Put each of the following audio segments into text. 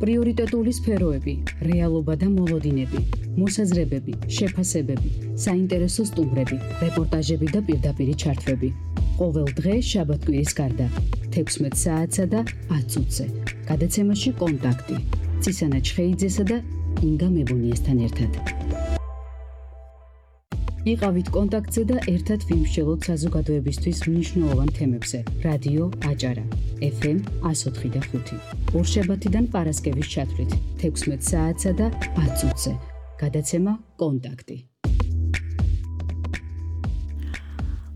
პრიორიტეტული სფეროები, რეალობა და მოლოდინები, მოსაზრებები, შეფასებები, საინტერესო სტუმრები, რეპორტაჟები და პირდაპირი ჩართვები. ყოველ დღე შაბათ-კვირის გარდა 16 საათსა და 10 წუთზე. გადაცემაში კონტაქტი. ცისანა ჩხეიძესა და ინგა მებუნიესთან ერთად. იყავით კონტაქტზე და ერთად ვიმსჯელოთ საზოგადოებისთვის მნიშვნელოვან თემებზე. რადიო აჭარა, FM 104.5. ორშაბათიდან პარასკევის ჩათვლით 16 საათსა და 10 წუთზე. გადაცემა კონტაქტი.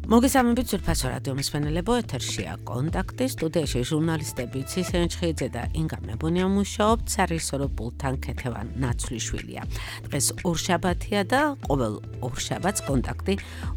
მოგესალმებით ძვირფასო რადიო მსმენელებო, ეთერშია კონტაქტი, სტუდიაში ჟურნალისტები ცისანა ჩხეიძე და ინგა მებუნია მუშაობთ, სარისორო პულტთან ქეთევან ნაცვლიშვილია. დღეს ორშაბათია და ყოველ ორშაბათს კონტაქტი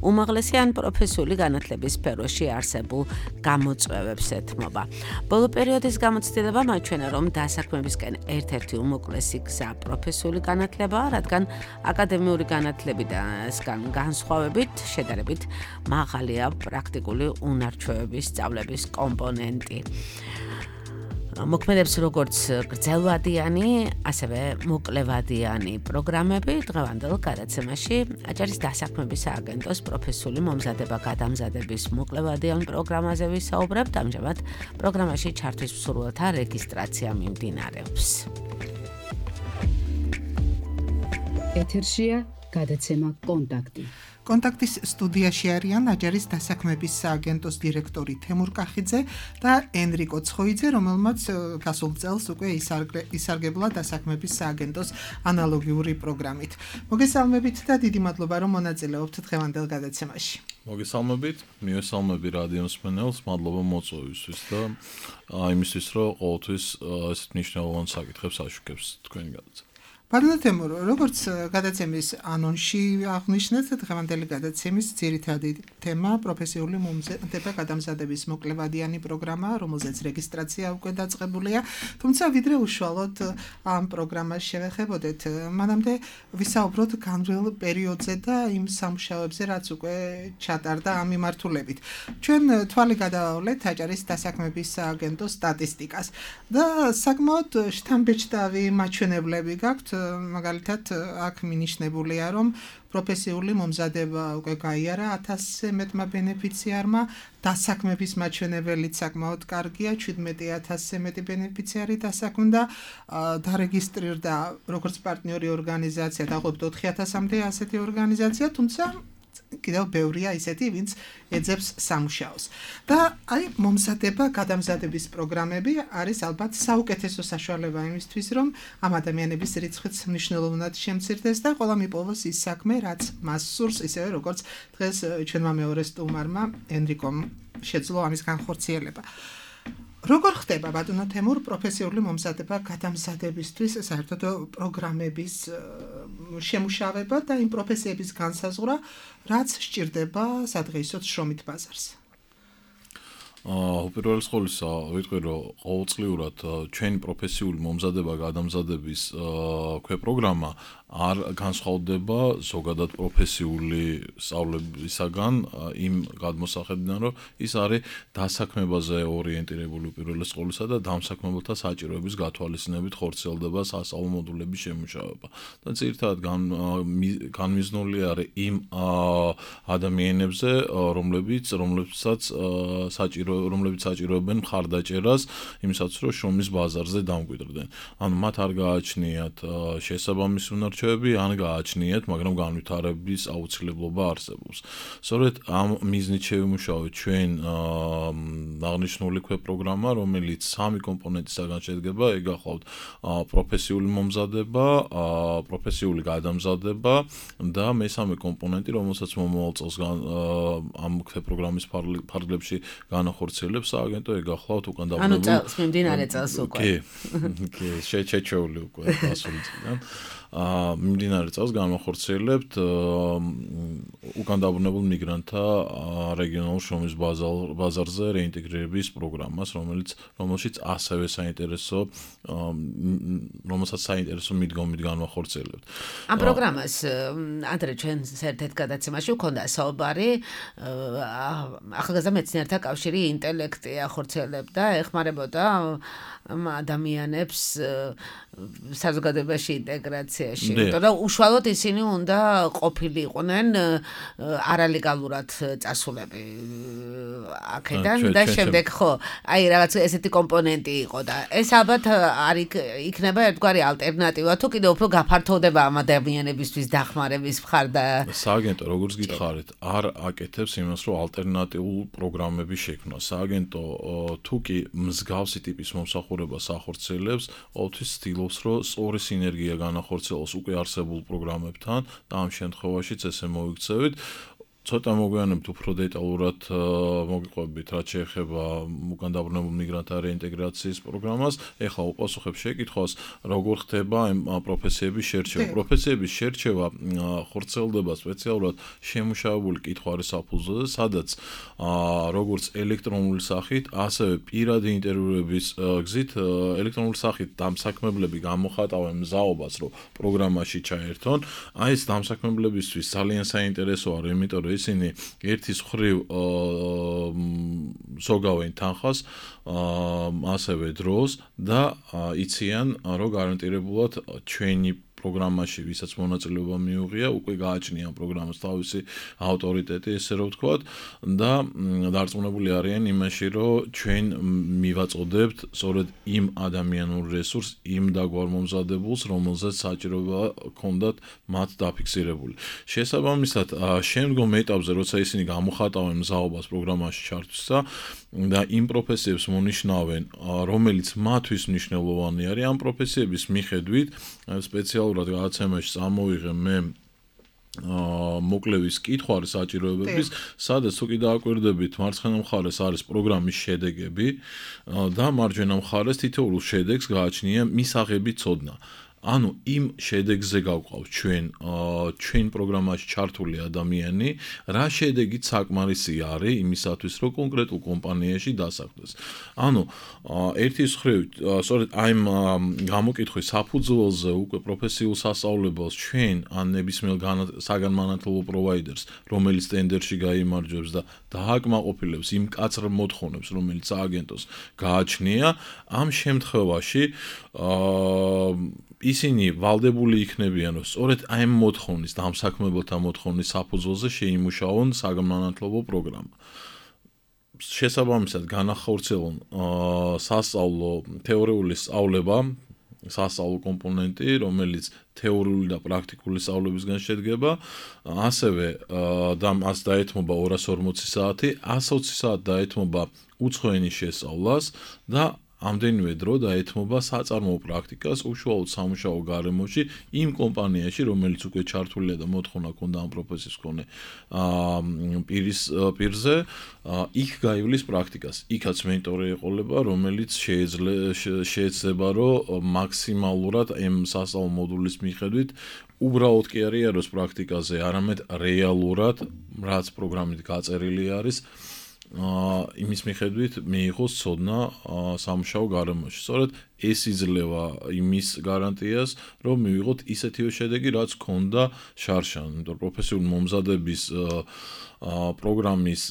უმაღლესი ან პროფესიული განათლების სფეროში არსებულ გამოწვევებს ეთმობა. ბოლო პერიოდის გამოცდილება მაჩვენა, რომ დასაქმებისკენ ერთ-ერთი უმოკლესი გზა პროფესიული განათლებაა, რადგან აკადემიური განათლებისგან განსხვავებით შედარებით მაღალია პრაქტიკული უნარჩვევების სწავლების კომპონენტი. მოქმედებს როგორც გრძელვადიანი, ასევე მოკლევადიანი პროგრამები. დღევანდელ გადაცემაში აჭარის დასაქმების სააგენტოს პროფესიული მომზადება-გადამზადების მოკლევადიან პროგრამაზე ვისაუბრებთ. ამჟამად პროგრამაში ჩართვის მსურველთა რეგისტრაცია მიმდინარეობს. ეთერშია გადაცემა კონტაქტი. კონტაქტის სტუდიაში არიან აჭარის დასაქმების სააგენტოს დირექტორი თემურ კახიძე და ენრიკო ცხოიძე, რომელმაც გასულ წელს უკვე ისარგებლა დასაქმების სააგენტოს ანალოგიური პროგრამით. მოგესალმებით და დიდი მადლობა, რომ მონაწილეობთ დღევანდელ გადაცემაში. მოგესალმებით, მივესალმები რადიო მსმენელს, მადლობა მოწვევისთვის და იმისთვის, რომ ყოველთვის ესეთ მნიშვნელოვან საკითხებს აშუქებს თქვენი გადაცემა. ბატონო თემურ, როგორც გადაცემის ანონსში აღნიშნეთ, დღევანდელი გადაცემის ძირითადი თემა პროფესიული მომზადება-გადამზადების მოკლევადიანი პროგრამაა, რომელზეც რეგისტრაცია უკვე დაწყებულია. თუმცა ვიდრე უშუალოდ ამ პროგრამას შევეხებოდეთ, მანამდე ვისაუბროთ განვლილ პერიოდზე და იმ სამუშაოებზე, რაც უკვე ჩატარდა ამ მიმართულებით. ჩვენ თვალი გადავავლეთ აჭარის დასაქმების სააგენტოს სტატისტიკას და საკმაოდ შთამბეჭდავი მაჩვენებლები გაქვთ. მაგალითად, აქ მინიშნებულია, რომ პროფესიული მომზადება უკვე გაიარა 1000-ზე მეტმა ბენეფიციარმა, დასაქმების მაჩვენებელიც საკმაოდ კარგია, 17000-ზე მეტი ბენეფიციარი დასაქმდა, დარეგისტრირდა როგორც პარტნიორი ორგანიზაცია, დაახლოებით 4000-მდე ასეთი ორგანიზაცია, თუმცა კიდევ ბევრია ისეთი, ვინც ეძებს სამუშაოს. და აი მომზადება-გადამზადების პროგრამები არის ალბათ საუკეთესო საშუალება იმისთვის, რომ ამ ადამიანების რიცხვიც მნიშვნელოვნად შემცირდეს და ყველა მიპოვოს ის საქმე, რაც მას სურს, ისევე როგორც დღეს ჩვენმა მეორე სტუმარმა ენრიკომ შეძლო ამის განხორციელება. როგორ ხდება ბატონო თემურ პროფესიული მომზადება-გადამზადებისთვის საერთოდ პროგრამების შემუშავება და იმ პროფესიების განსაზღვრა, რაც სჭირდება სადღეისოდ შრომით ბაზარს? უპირველეს ყოვლისა, ვიტყვი, რომ ყოველწლიურად ჩვენი პროფესიული მომზადება-გადამზადების ქვეპროგრამა არ განსხვავდება ზოგადად პროფესიული სწავლებისაგან იმ გადმოსახედიდან, რომ ის არის დასაქმებაზე ორიენტირებული უპირველეს ყოვლისა და დამსაქმებელთა საჭიროების გათვალისწინებით ხორციელდება სასწავლო მოდულების შემუშავება. და ძირითადად განმიზნული არის იმ ადამიანებზე, რომლებიც საჭიროებენ მხარდაჭერას იმისათვის, რომ შრომის ბაზარზე დამკვიდრდნენ. ანუ მათ არ გააჩნიათ შესაბამისი უნარჩვევები, ან გააჩნიათ, მაგრამ განვითარების აუცილებლობა არსებობს. სწორედ ამ მიზნით შევიმუშავეთ ჩვენ აღნიშნული ქვეპროგრამა, რომელიც 3 კომპონენტისაგან შედგება, ეგ გახლავთ პროფესიული მომზადება, პროფესიული გადამზადება და მესამე კომპონენტი, რომელსაც მომავალ წელს ამ ქვეპროგრამის ფარგლებში განახორციელებს სააგენტო, ეგ გახლავთ უკან დაბრუნებული. ანუ წელს მიმდინარე წელს უკვე. კი, შეჩეული უკვე დასული წლიდან. მიმდინარე წელს განვახორციელებთ უკან დაბრუნებულ მიგრანტთა რეგიონულ შრომის ბაზარზე რეინტეგრირების პროგრამას, რომელშიც ასევე რომელსაც საინტერესო მიდგომით განვახორციელებთ. ამ პროგრამას ანდრე ჩვენ ერთ-ერთ გადაცემაში ვქონდა საუბარი ახალგაზრდა მეცნიერთა კავშირი ინტელექტი ახორციელებდა, ეხმარებოდა ადამიანებს საზოგადოებაში ინტეგრაციაში. იმიტომ რომ უშუალოდ ისინი უნდა ყოფილიყვნენ არალეგალურად წასულები აქედან და შემდეგ ხო, აი რაღაც ესეთი კომპონენტი იყო და ეს ალბათ არ იქნება ერთგვარი ალტერნატივა თუ კიდევ უფრო გაფართოვდება ამ ადამიანებისთვის დახმარების მხარ და სააგენტო როგორც გითხარით არ აკეთებს იმას რომ ალტერნატიულ პროგრამები შექმნა. სააგენტო თუ კი მსგავსი ტიპის მომსახურებას ახორციელებს, ყოველთვის ცდილობს რომ სწორი სინერგია განახორციელოს უკვე არსებულ პროგრამებთან და ამ შემთხვევაშიც ესე მოიქცევით. ცოტა მოგვიანებთ უფრო დეტალურად მოგიყვებით რაც შეეხება უკან დაბრუნებულ მიგრანტთა რეინტეგრაციის პროგრამას. ეხლა უპასუხებ შეკითხვას, როგორ ხდება ამ პროფესიების შერჩევა. პროფესიების შერჩევა ხორციელდება სპეციალურად შემუშავებული კითხვარის საფუძველზე, სადაც როგორც ელექტრონული სახით, ასევე პირადი ინტერვიუების გზით ელექტრონული სახით დამსაქმებლები გამოხატავენ მზაობას, რომ პროგრამაში ჩაერთონ. აი ეს დამსაქმებლებისთვის ძალიან საინტერესოა, იმიტომ რომ ისინი ერთის მხრივ ზოგავენ თანხას, ასევე დროს და იციან, რომ გარანტირებულად ჩვენი პროგრამაში, ვისაც მონაწილეობა მიუღია, უკვე გააჩნია პროგრამას თავისი ავტორიტეტი, ესე რომ ვთქვათ, და დარწმუნებული არიან იმაში, რომ ჩვენ მივაწოდებთ სწორედ იმ ადამიანურ რესურსს, იმ დაგვარ მომზადებულს, რომელზეც საჭიროება ჰქონდათ მათ დაფიქსირებული. შესაბამისად, შემდგომ ეტაპზე, როცა ისინი გამოხატავენ მზაობას პროგრამაში ჩართვისა და იმ პროფესიებს მონიშნავენ, რომელიც მათთვის მნიშვნელოვანი არის, ამ პროფესიების მიხედვით სპეციალურად გადაცემაში წამოვიღე მე მოკლევის კითხვარი საჭიროებების, სადაც თუ კი დააკვირდებით, მარცხენა მხარეს არის პროგრამის შედეგები და მარჯვენა მხარეს თითოეულ შედეგს გააჩნია მისაღები ცოდნა. ანუ იმ შედეგზე გავყავთ ჩვენ პროგრამაში ჩართული ადამიანი, რა შედეგით საკმარისი არის იმისათვის, რომ კონკრეტულ კომპანიაში დასახლდეს. ანუ ერთის მხრივ, სწორედ აი გამოკითხვის საფუძველზე უკვე პროფესიულ სასწავლებელს ჩვენ ან ნებისმიერ საგანმანათლებლო პროვაიდერს, რომელიც ტენდერში გაიმარჯვებს და დააკმაყოფილებს იმ მკაცრ მოთხოვნებს, რომელიც სააგენტოს გააჩნია, ამ შემთხვევაში ისინი ვალდებული იქნებიან, რომ სწორედ აი ამ მოთხოვნის, დამსაქმებელთა მოთხოვნის საფუძველზე შეიმუშაონ საგანმანათლებლო პროგრამა. შესაბამისად, განახორციელონ სასწავლო თეორიული სწავლება, სასწავლო კომპონენტი, რომელიც თეორიული და პრაქტიკული სწავლებისგან შედგება, ასევე მას დაეთმობა 240 საათი, 120 საათი დაეთმობა უცხო ენის შესწავლას და ამდენივე დრო დაეთმობა საწარმოო პრაქტიკას უშუალოდ სამუშაო გარემოში იმ კომპანიაში, რომელიც უკვე ჩართულია და მოთხოვნა ქონდა ამ პროფესიის მქონე პირზე, იქ გაივლის პრაქტიკას. იქაც მენტორი ეყოლება, რომელიც შეეძლება, რომ მაქსიმალურად ამ სასწავლო მოდულის მიხედვით უბრალოდ კი არ იაროს პრაქტიკაზე, არამედ რეალურად, რაც პროგრამით გაწერილი არის, იმის მიხედვით მიიღოს ცოდნა სამუშაო გარემოში. სწორედ ეს იძლევა იმის გარანტიას, რომ მივიღოთ ისეთივე შედეგი, რაც ჰქონდა შარშან. იმიტომ რომ პროფესიული მომზადების პროგრამის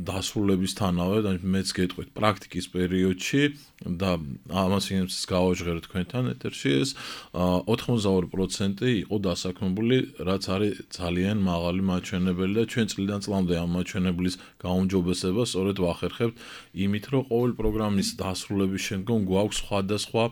დასრულებისთანავე, მეც გეტყვით, პრაქტიკის პერიოდში და ამას ინემცის გავაჟღერეთ თქვენთან ეთერში ეს 82% იყო დასაქმებული, რაც არის ძალიან მაღალი მაჩვენებელი და ჩვენ წლიდან წლამდე ამ მაჩვენებლის გაუმჯობესება სწორედ ვახერხებთ იმით, რომ ყოველ პროგრამის დასრულების შემდგომ გვაქვს სხვადასხვა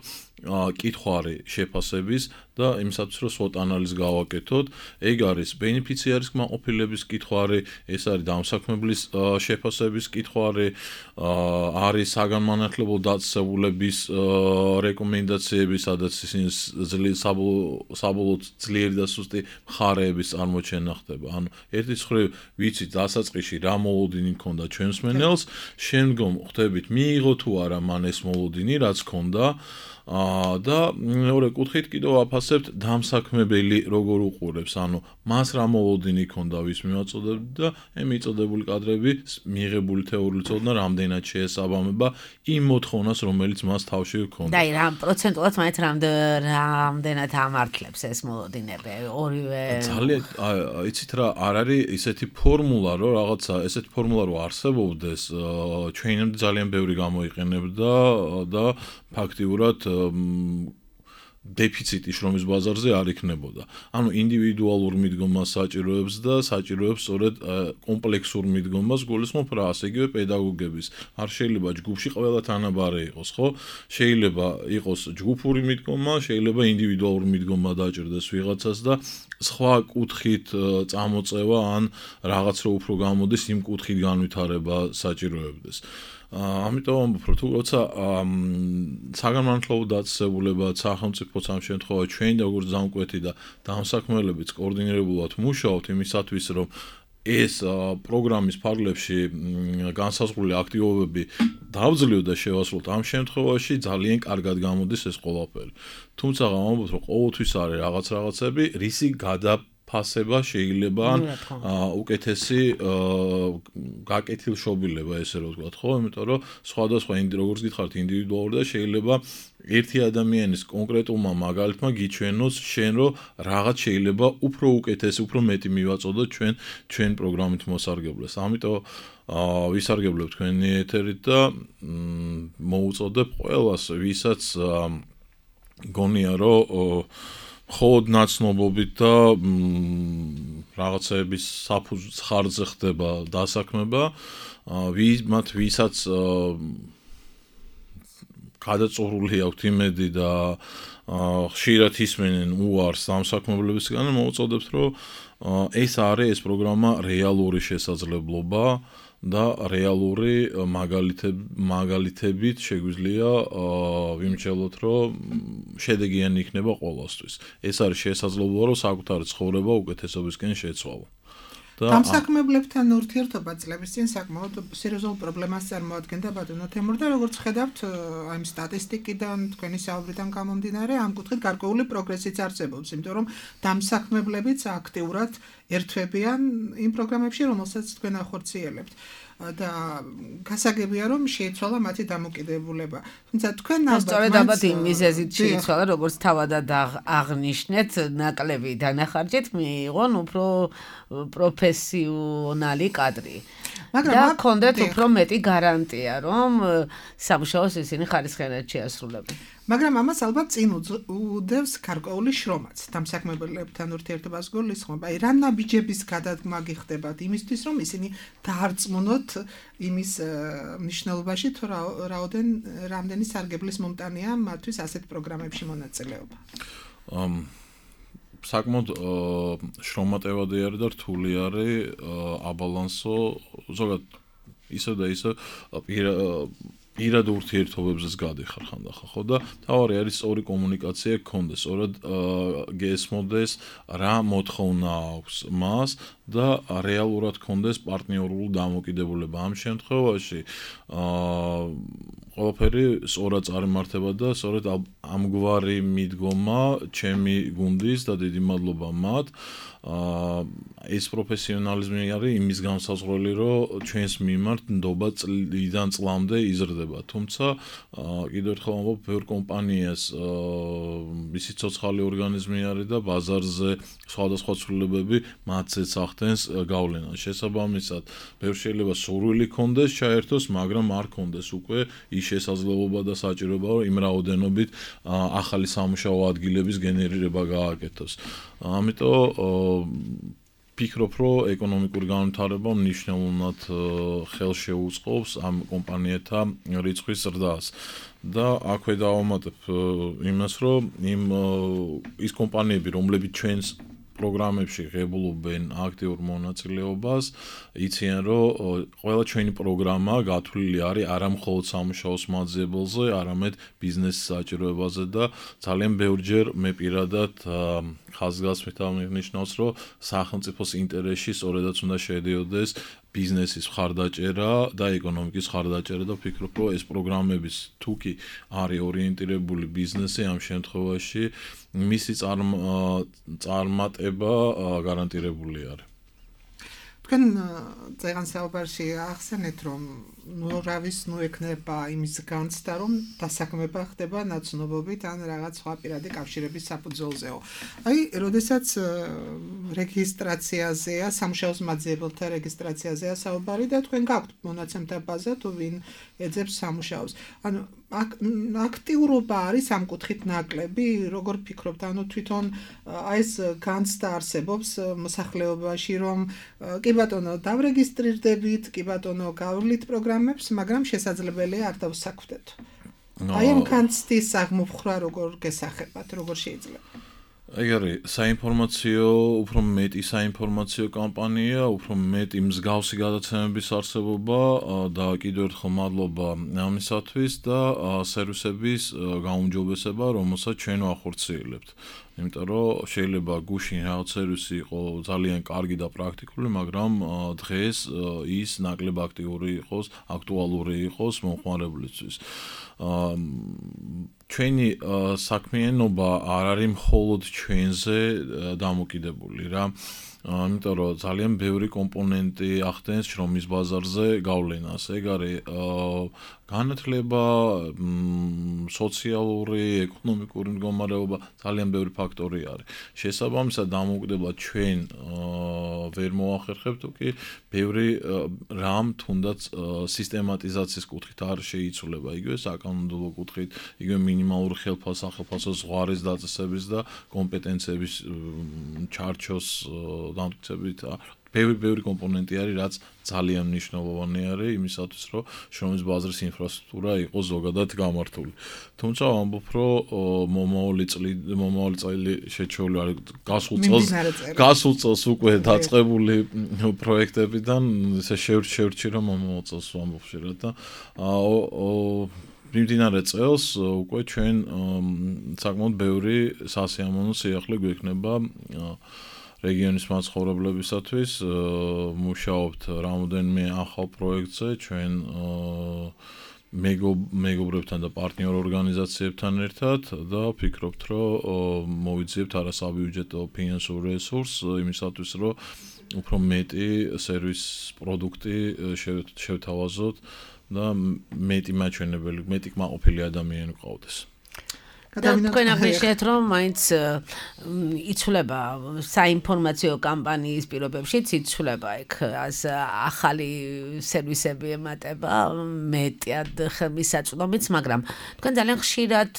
კითხვარი შეფასების და იმისათვის რომ SWOT ანალიზი გავაკეთოთ, ეგ არის ბენეფიციარის კმაყოფილების კითხვარი, ეს არის დამსაქმებლის შეფასების კითხვარი, არის საგანმანათლებლო დაწესებულების რეკომენდაციები, სადაც ისინი საბოლოოდ ძლიერი და სუსტი მხარეების წარმოჩენა ხდება. ანუ ერთის მხრივ ვიცით დასაწყისში რა მოლოდინი ჰქონდა ჩვენს მსმენელს, შემდგომ ხვდებით მიიღო თუ არა მან ეს მოლოდინი, რაც ჰქონდა, და მეორე კუთხით კიდევ ვაფასებთ დამსაქმებელი როგორ უყურებს, ანუ მას რა მოლოდინი ჰქონდა ვის მივაწოდებდი და ამ მიწოდებული კადრები მიღებული თეორიული ცოდნა რამდენად შეესაბამება იმ მოთხოვნას, რომელიც მას თავში ჰქონდა. და რა პროცენტულად მაინც რამდენად ამართლებს ეს მოლოდინები ორივე ძალიან იცით რა არ არის ისეთი ფორმულა რომ რაღაცა ესეთი ფორმულა რომ არსებობდეს ჩვენამდე ძალიან ბევრი გამოიყენებდა და ფაქტიურად დეფიციტი შრომის ბაზარზე არ იქნებოდა. ანუ ინდივიდუალურ მიდგომას საჭიროებს და საჭიროებს სწორედ კომპლექსურ მიდგომას გულისხმობ რა, ასე იგივე პედაგოგების. არ შეიძლება ჯგუფში ყველა თანაბარი იყოს, ხო? შეიძლება იყოს ჯგუფური მიდგომა, შეიძლება ინდივიდუალური მიდგომა დაჭირდეს ვიღაცას და სხვა კუთხით წამოწევა ან რაღაც რო უფრო გამოდის იმ კუთხით განვითარება საჭიროებდეს. ამიტომ თუ როცა საგანმანათლებლო დაწესებულება სახელმწიფოც ამ შემთხვევაში ჩვენ როგორც დამკვეთი და დამსაქმელებიც კოორდინირებულად მუშაობთ იმისათვის რომ ეს პროგრამის ფარგლებში განსაზღვრული აქტივობები დავძლევ და შევასრულოთ ამ შემთხვევაში ძალიან კარგად გამოდის ეს ყველაფერი. თუმცა გამოვიდეთ რომ ყოველთვის არის რაღაცები რისი ფასება შეიძლება ან უკეთესი გაკეთილშობილება ესე რომ ვთქვათ, ხო? იმიტომ რომ სხვადასხვა როგორც გითხარით ინდივიდუალური და შეიძლება ერთი ადამიანის კონკრეტულმა მაგალითმა გიჩვენოს შენ რომ რაღაც შეიძლება უფრო უკეთესი, უფრო მეტი მივაწოდოთ ჩვენ პროგრამით მოსარგებლეს. ამიტომ ვისარგებლებ თქვენი ეთერით და მოუწოდებ ყველას, ვისაც გონია რომ ხოდ ნაცნობობით და რაღაცების ხარჯზე ხდება დასაქმება, მათ ვისაც გადაწურული აქვთ იმედი და ხშირად ისმენენ უარს დამსაქმებლებისგან, მოუწოდებთ, რომ ეს არის ეს პროგრამა რეალური შესაძლებლობა და რეალური მაგალითებით შეგვიძლია ვიმჩნევლოთ, რომ შედეგიანი იქნება ყველასთვის. ეს არის შესაძლებლობა, რომ საკუთარი ცხოვრება უკეთესობისკენ შეცვალო. დამსაქმებლებთან ურთიერთობა წლების წინ საკმაოდ სერიოზულ პრობლემას წარმოადგენდა ბატონო თემურ და როგორც ხედავთ აი სტატისტიკიდან თქვენი საუბრიდან გამომდინარე ამ კუთხით გარკვეული პროგრესიც არსებობს, იმიტომ რომ დამსაქმებლებიც აქტიურად ერთვებიან იმ პროგრამებში, რომელსაც თქვენ ახორციელებთ. და გასაგებია რომ შეიცვალა მათი დამოკიდებულება. თუმცა თქვენ ალბათ იმ მიზეზით შეიცვალა, როგორც თავადად აღნიშნეთ, ნაკლები დანახარჯით მიიღონ უფრო პროფესიონალი კადრი. და კონდეთ უფრო მეტი გარანტია, რომ სამუშაოს ისინი ხარისხიანად შეასრულებენ. მაგრამ ამას ალბათ წინ უდევს გარკვეული შრომაც დამსაქმებლებთან ურთიერთობას გულისხმობ. აი რა ნაბიჯების გადადგმა გიხდებათ იმისთვის, რომ ისინი დაარწმუნოთ იმის მნიშვნელობაში, თუ რამდენი სარგებლის მომტანია მათთვის ასეთ პროგრამებში მონაწილეობა. საკმაოდ შრომატევადი არის და რთული არის აბალანსო ზოგადად ისე და ისე პირად ურთიერთობებზეც გადიხარ ხანდახან, ხო და თავარი არის სწორი კომუნიკაცია გქონდეს, სწორად გესმოდეს რა მოთხოვნა აქვს მას და რეალურად გქონდეს პარტნიორული დამოკიდებულება. ამ შემთხვევაში ყველაფერი სწორად წარიმართება და სწორედ ამგვარი მიდგომა ჩემი გუნდის და დიდი მადლობა მათ ეს პროფესიონალიზმი არის იმის განსაზღვრელი, რომ ჩვენს მიმართ ნდობა წლიდან წლამდე იზრდება. თუმცა კიდევ ერთხელ ვამბობ, ბევრ კომპანიას ისი ცოცხალი ორგანიზმი არის და ბაზარზე სხვადასხვა ცვლილებები მათზეც ახდენს გავლენას. შესაბამისად, ბევრ შეიძლება სურვილი ქონდეს ჩაერთოს, მაგრამ არ ქონდეს უკვე ის შესაძლებლობა და საჭიროება, რომ იმ რაოდენობით ახალი სამუშაო ადგილების გენერირება გააკეთოს. ამიტომ ფიქრობ, რომ ეკონომიკური განვითარება მნიშვნელოვნად ხელს შეუწყობს ამ კომპანიათა რიცხვის ზრდას. და აქვე დავამატებ იმას, რომ ის კომპანიები, რომლებიც ჩვენს პროგრამებში ღებულობენ აქტიურ მონაწილეობას, იციან, რომ ყველა ჩვენი პროგრამა გათვლილი არის არა მხოლოდ სამუშაოს მაძიებელზე, არამედ ბიზნესის საჭიროებაზე და ძალიან ბევრჯერ მე პირადად ხაზგასმით აღნიშნავს, რომ სახელმწიფოს ინტერესში სწორედაც უნდა შედიოდეს ბიზნესის მხარდაჭერა და ეკონომიკის მხარდაჭერა და ვფიქრობ, რომ ეს პროგრამების თუ კი არის ორიენტირებული ბიზნესი, ამ შემთხვევაში მისი წარმატება გარანტირებული არის. თქვენ წეგან საუბარში ახსენეთ, რომ ნურავის ექნება იმის განცდა, რომ დასაქმება ხდება ნაცნობობით ან რაღაც სხვა პირადი კავშირების საფუძველზეო. აი, როდესაც რეგისტრაციაზეა, სამუშაოს მაძიებელთა რეგისტრაციაზეა საუბარი და თქვენ გაქვთ მონაცემთა ბაზა თუ ვინ ეძებს სამუშაოს. ანუ აქტიურობა არის ამ კუთხით ნაკლები, როგორ ფიქრობთ, ანუ თვითონ აი ეს განცდა არსებობს მოსახლეობაში, რომ კი ბატონო დავრეგისტრირდებით, კი ბატონო გავვლით პროგრამებს, მაგრამ შესაძლებელია არ დავსაქმდეთ. აი ამ განცდის აღმოფხვრა როგორ გესახებათ, როგორ შეიძლება? აი არის საინფორმაციო, უფრო მეტი საინფორმაციო კამპანია, უფრო მეტი მსგავსი გადაცემების არსებობა და კიდევ ერთხელ მადლობა ამისათვის და სერვისების გაუმჯობესება, რომელსაც ჩვენ ვახორციელებთ. იმიტომ რომ შეიძლება გუშინ რაღაც სერვისი იყო ძალიან კარგი და პრაქტიკული, მაგრამ დღეს ის ნაკლებ აქტიური იყოს, აქტუალური იყოს მომხმარებლისთვის. ჩვენი საქმიანობა არ არის მხოლოდ ჩვენზე დამოკიდებული რა. იმიტომ რომ ძალიან ბევრი კომპონენტი ახდენს შრომის ბაზარზე გავლენას. ეგ არის განათლება, სოციალური, ეკონომიკური მდგომარეობა, ძალიან ბევრი ფაქტორი არის. შესაბამისად, დამოუკიდებლად ჩვენ ვერ მოახერხებთ, თუკი ბევრი რამ თუნდაც სისტემატიზაციის კუთხით არ შეიცვლება, იგივე საკანონმდებლო კუთხით, იგივე მინიმალური ხელფასო ზღვარის დაწესების და კომპეტენციების ჩარჩოს დამტკიცებით. ბევრი კომპონენტი არის, რაც ძალიან მნიშვნელოვანი არის იმისათვის, რომ შრომის ბაზრის ინფრასტრუქტურა იყოს ზოგადად გამართული. თუმცა ვამბობ, რომ მომავალი წელი შეჩეული არის გასულ წელს უკვე დაწყებული პროექტებიდან, ესე შევრჩი რომ მომავალ წელს ვამბობ შეიძლება და მიმდინარე წელს უკვე ჩვენ საკმაოდ ბევრი სასიამოვნო სიახლე გვექნება რეგიონის მაცხოვრებლებისათვის. მუშაობთ რამოდენიმე ახალ პროექტზე ჩვენ მეგობრებთან და პარტნიორ ორგანიზაციებთან ერთად და ვფიქრობთ, რომ მოვიძიებთ არასაბიუჯეტო ფინანსურ რესურსს იმისათვის, რომ უფრო მეტი სერვის პროდუქტი შევთავაზოთ და მეტი მაჩვენებელი, მეტი კმაყოფილი ადამიანი გყავდეს. თქვენ აღნიშნეთ, რომ მაინც იცვლება საინფორმაციო კამპანიის პირობებშიც იცვლება იქ ახალი სერვისები ემატება, მეტად ხელმისაწვდომიც, მაგრამ თქვენ ძალიან ხშირად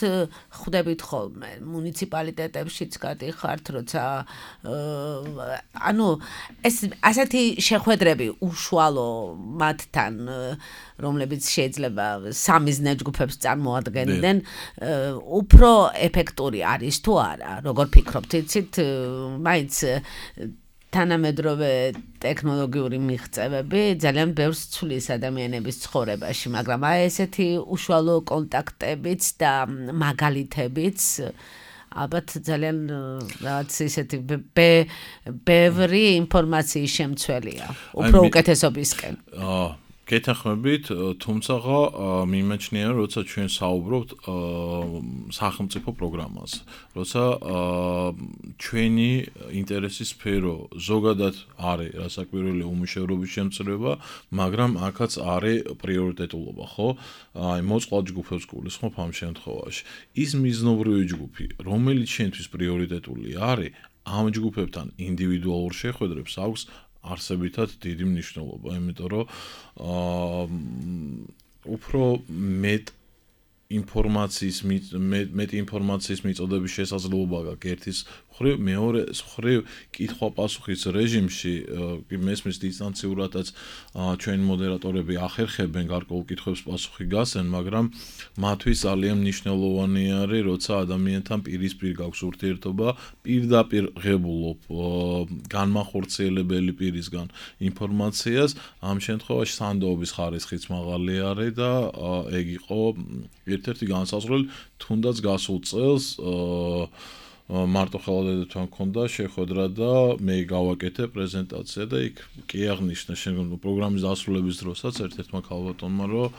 ხვდებით ხოლმე მუნიციპალიტეტებშიც გადიხართ, როცა ანუ ეს ასეთი შეხვედრები უშუალო მათთან, რომლებიც შეიძლება სამიზნე ჯგუფებს წარმოადგენდნენ, უფრო ეფექტური არის თუ არა, როგორ ფიქრობთ, იცით, მაინც თანამედროვე ტექნოლოგიური მიღწევები ძალიან ბევრს ცვლის ადამიანების ცხოვრებაში, მაგრამ აი ესეთი უშუალო კონტაქტებიც და მაგალითებიც ალბათ ძალიან რაღაც ისეთი ბევრი ინფორმაციის შემცველია, უფრო უკეთესობისკენ. გეთანხმებით, თუმცა მიმაჩნია, როცა ჩვენ საუბრობთ სახელმწიფო პროგრამაზე, როცა ჩვენი ინტერესის სფერო ზოგადად არის რასაკვირველი უმუშევრობის შემცირება, მაგრამ აქაც არის პრიორიტეტულობა, ხო? აი, მოწყვლად ჯგუფებს გულისხმობ ამ შემთხვევაში. ის მიზნობრივი ჯგუფი, რომელიც ჩვენთვის პრიორიტეტული არის, ამ ჯგუფებთან ინდივიდუალურ შეხვედრებს აქვს არსებითად დიდი მნიშვნელობა, იმიტომ რომ უფრო მეტ ინფორმაციის მიწოდების შესაძლებლობა გაქვს ერთის მხრივ, მეორე მხრივ კითხვა-პასუხის რეჟიმში მესმის დისტანციურადაც ჩვენი მოდერატორები ახერხებენ გარკვეულ კითხვებს პასუხი გასცენ, მაგრამ მათთვის ძალიან მნიშვნელოვანი არის, როცა ადამიანთან პირისპირ გაქვს ურთიერთობა, პირდაპირ ღებულობ განმახორციელებელი პირისგან ინფორმაციას, ამ შემთხვევაში სანდოობის ხარისხიც მაღალი არის და ეგ იყო ერთ-ერთი განსაზღვრელი, თუნდაც გასულ წელს მარტო ხელადედთან მქონდა შეხვედრა და მე გავაკეთე პრეზენტაცია და იქ კი აღნიშნა შენ პროგრამის დასრულების დროსაც ერთ-ერთმა ქალბატონმა რომ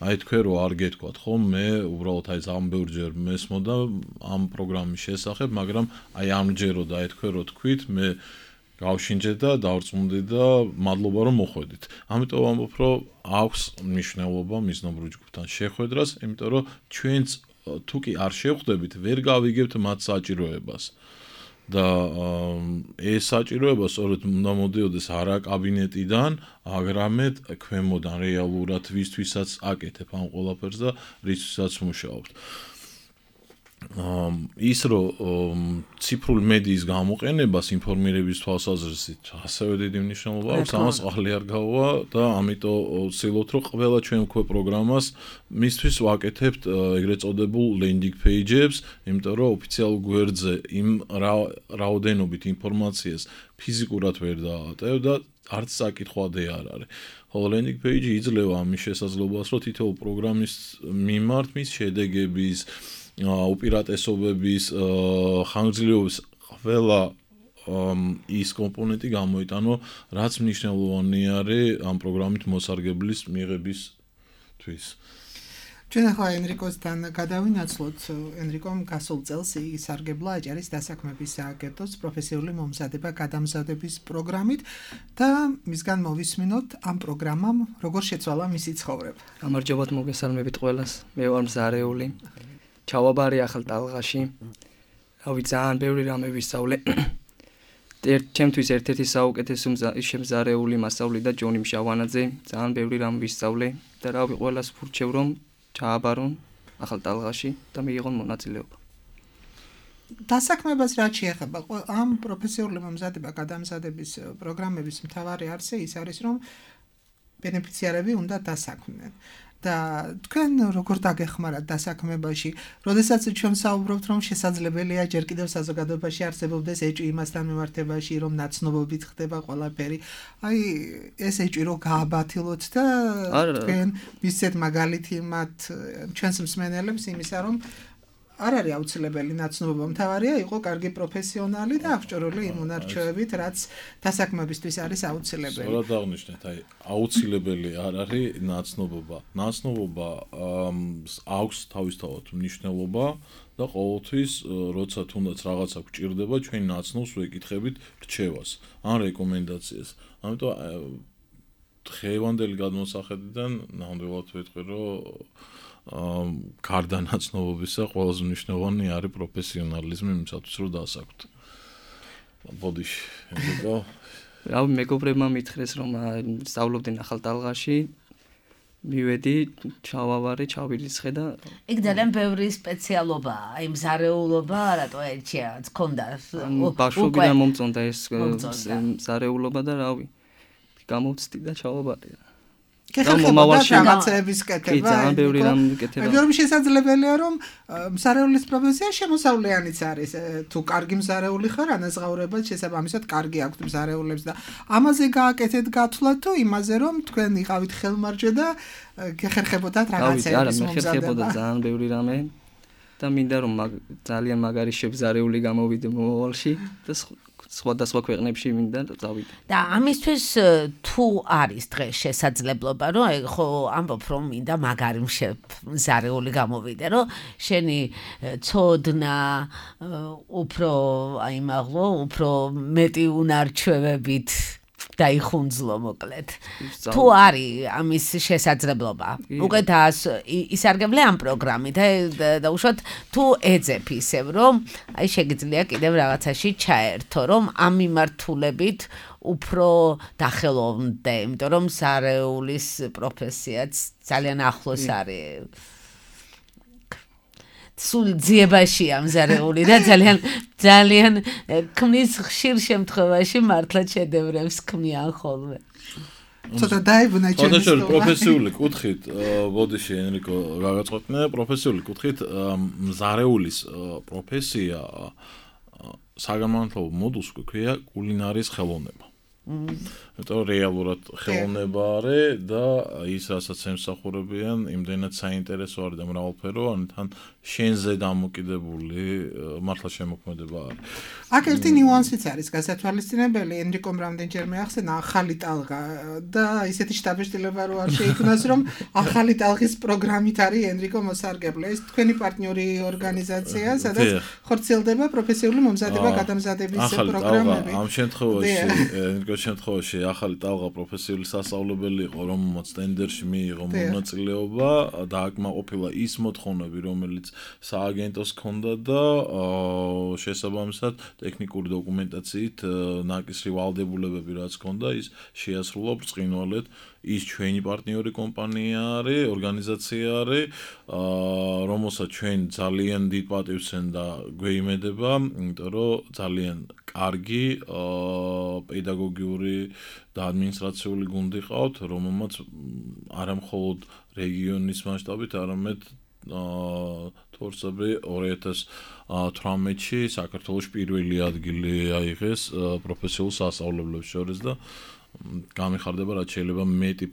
აი თქვენ რო არ გეთქვათ ხო მე უბრალოდ აი ძალიან ბევრჯერ მესმოდა ამ პროგრამის შესახებ მაგრამ აი ამჯერო და აი თქვენ რო თქვით მე გავშინჯე და დავწმუნდი და მადლობა რომ მოხვედით ამიტომ ვამბობ რომ აქვს მნიშვნელობა მიზნობრივ ჯგუფთან შეხვედრას იმიტომ რომ ჩვენც თუ კი არ შევხვდებით ვერ გავიგებთ მათ საჭიროებას და ეს საჭიროება სწორედ უნდა მოდიოდეს არა კაბინეტიდან აგრამედ ქვემოდან რეალურად ვისთვისაც აკეთებ ამ ყველაფერს და რისთვისაც მუშაობთ ის რომ ციფრული მედიის გამოყენებას ინფორმირების თვალსაზრისით ასევე დიდი მნიშვნელობა აქვს ამას ყალი არ გავა და ამიტომ ვცდილობთ რომ ყველა ჩვენ უკვე პროგრამას მისთვის ვაკეთებთ ეგრეთ წოდებულ landing page-ებს იმიტომ რომ ოფიციალურ გვერდზე იმ რაოდენობით ინფორმაციას ფიზიკურად ვერ დაატევ და არც საკითხვადე არ არის ხოლო landing page იძლევა ამის შესაძლებლობას რომ თითოეულ პროგრამის მიმართ მის შედეგების უპირატესობების ხანგრძლივობის ყველა ის კომპონენტი გამოიტანო რაც მნიშვნელოვანი არის ამ პროგრამით მოსარგებლის მიღებისთვის ჩვენ ახლა ენრიკოსთან გადავინაცვლოთ ენრიკომ გასულ წელს ისარგებლა აჭარის დასაქმების სააგენტოს პროფესიული მომზადება გადამზადების პროგრამით და მისგან მოვისმინოთ ამ პროგრამამ როგორ შეცვალა მისი ცხოვრება გამარჯობათ მოგესალმებით ყველას მე ვარ მზარეული ჩავაბარი ახალ ტალღაში რავი ძალიან ბევრი რამე ვისწავლე ჩემთვის ერთ-ერთი საუკეთესო შემზარეული მასწავლი და ჯონი მშავანაძე ძალიან ბევრი რამ ვისწავლე და რავი ყველას ვურჩევ რომ ჩააბარონ ახალ ტალღაში და მიიღონ მონაწილეობა დასაქმებას რაც შეეხება ამ პროფესიული მომზადება გადამზადების პროგრამების მთავარი არსი ის არის რომ ბენეფიციარები უნდა დასაქმდნენ და თქვენ როგორ დაგეხმარათ დასაქმებაში, როდესაც ჩვენ საუბრობთ რომ შესაძლებელია ჯერ კიდევ საზოგადოებაში არსებობდეს ეჭვი იმასთან მიმართებაში რომ ნაცნობობით ხდება ყველაფერი. აი ეს ეჭვი რო გააბათილოთ და თქვენ მისცეთ მაგალითი მათ ჩვენს მსმენელებს იმისა რომ არ არის აუცილებელი ნაცნობობა, მთავარია იყო კარგი პროფესიონალი და აღჭურვილი იმ უნარჩვევებით, რაც დასაქმებისთვის არის აუცილებელი. სწორად აღნიშნეთ, აი აუცილებელი არ არის ნაცნობობა. ნაცნობობა აქვს თავისთავად მნიშვნელობა და ყოველთვის როცა თუნდაც რაღაცა გვჭირდება, ჩვენ ნაცნობს ვეკითხებით რჩევას ან რეკომენდაციას. ამიტომ დღევანდელი გადმოსახედიდან ნამდვილად ვეთქვი, რომ გარდა ნაცნობობისა ყველაზე მნიშვნელოვანი არის პროფესიონალიზმი იმისათვის რომ დასაქმოთ. ბოდიში, ეგო. რავი მეგობრებმა მითხრეს რომ სწავლობდნენ ახალ ტალღაში. მივედი, ჩავავარე, ჩავირიცხე და იქ ძალიან ბევრი სპეციალობაა, აი მზარეულობა, რატო ერთია, გქონდა. ბავშვობიდან მომწონდა ეს მზარეულობა და რავი გამოვცდი და ჩავაბარე. ხეხებოდა რაღაცების კეთება. კი, ძალიან ბევრი რამ კეთება. მაგრამ შესაძლებელია რომ მზარეულის პროფესია შემოსავლიანიც არის. თუ კარგი მზარეული ხარ, ანაზღაურება შესაბამისად კარგი აქვს მზარეულებს და ამაზე გააკეთეთ გათვლა თუ იმაზე რომ თქვენ იყავით ხელმარჯვე და გეხერხებოდათ რაღაცების მომზადება. არა, მე ხერხებოდა ძალიან ბევრი რამე და მინდა რომ ძალიან მაგარი შემზარეული გამოვიდე მომავალში და სხვადასხვა ქვეყნებში მინდა წავიდე. და ამისთვის თუ არის დღეს შესაძლებლობა, რომ ხო ამბობ რომ მინდა მაგარი მზარეული გამოვიდე, რომ შენი ცოდნა უფრო აი მაღლო, უფრო მეტი უნარჩვევებით დაიხუნძლო მოკლედ. თუ არის ამის შესაძლებლობა. უკვე ისარგებლე ამ პროგრამით და უშუალოდ თუ ეძებ ისევ რომ აი შეგიძლია კიდევ რაღაცაში ჩაერთო რომ ამ მიმართულებით უფრო დახელოვნდე, იმიტომ რომ სარეულის პროფესიაც ძალიან ახლოს არის. სულ ძიებაშია მზარეული და ძალიან ქმნის ხშირ შემთხვევაში მართლა შედევრებს ქმნიან ხოლმე. ცოტა დაიბნა ჩვენი პროფესიული კუთხით, ბოდიში ენრიკო გაგაწყობნა, პროფესიული კუთხით მზარეულის პროფესია საგამართლობო მოდულს ქვია კულინარიის ხელოვნება. იმიტომ რეალურად ხელოვნება არის და ის რასაც ემსახურებიან, იმდენად საინტერესო არის და მრავალფეროვანი, თან შენზე დამოკიდებული მართლა შემოქმედება არის. აქ ერთი ნიუანსიც არის გასათვალისწინებელი, ენრიკომ რამდენჯერმე ახსენა ახალი ტალღა და ისეთი შთაბეჭდილება რო არ შეიქმნას, რომ ახალი ტალღის პროგრამით არის ენრიკო მოსარგებლე. ეს თქვენი პარტნიორი ორგანიზაცია, სადაც ხორციელდება პროფესიული მომზადება გადამზადების პროგრამები. ამ შემთხვევაში, ენრიკოს შემთხვევაში ახალი ტალღა პროფესიული სასწავლებელი იყო, რომელმაც ტენდერში მიიღო მონაწილეობა და აქ ყოფილა ის მოთხოვნები, რომელიც სააგენტოს ჰქონდა და შესაბამისად ტექნიკური დოკუმენტაციით ნაკისრი ვალდებულებები რაც ჰქონდა, ის შეასრულა ბრწყინვალედ. ის ჩვენი პარტნიორი კომპანია არის, ორგანიზაცია არის, რომელსაც ჩვენ ძალიან დიდ პატივს და გვეიმედება, იმიტომ რომ ძალიან კარგი პედაგოგიური და ადმინისტრაციული გუნდი ყავთ, რომელმაც არა მხოლოდ რეგიონის მასშტაბით, არამედ თორსაბე 2018-ში საქართველოს პირველი ადგილი აიღეს პროფესიულ სასწავლებლებს შორის და გამიხარდება რაც შეიძლება მეტი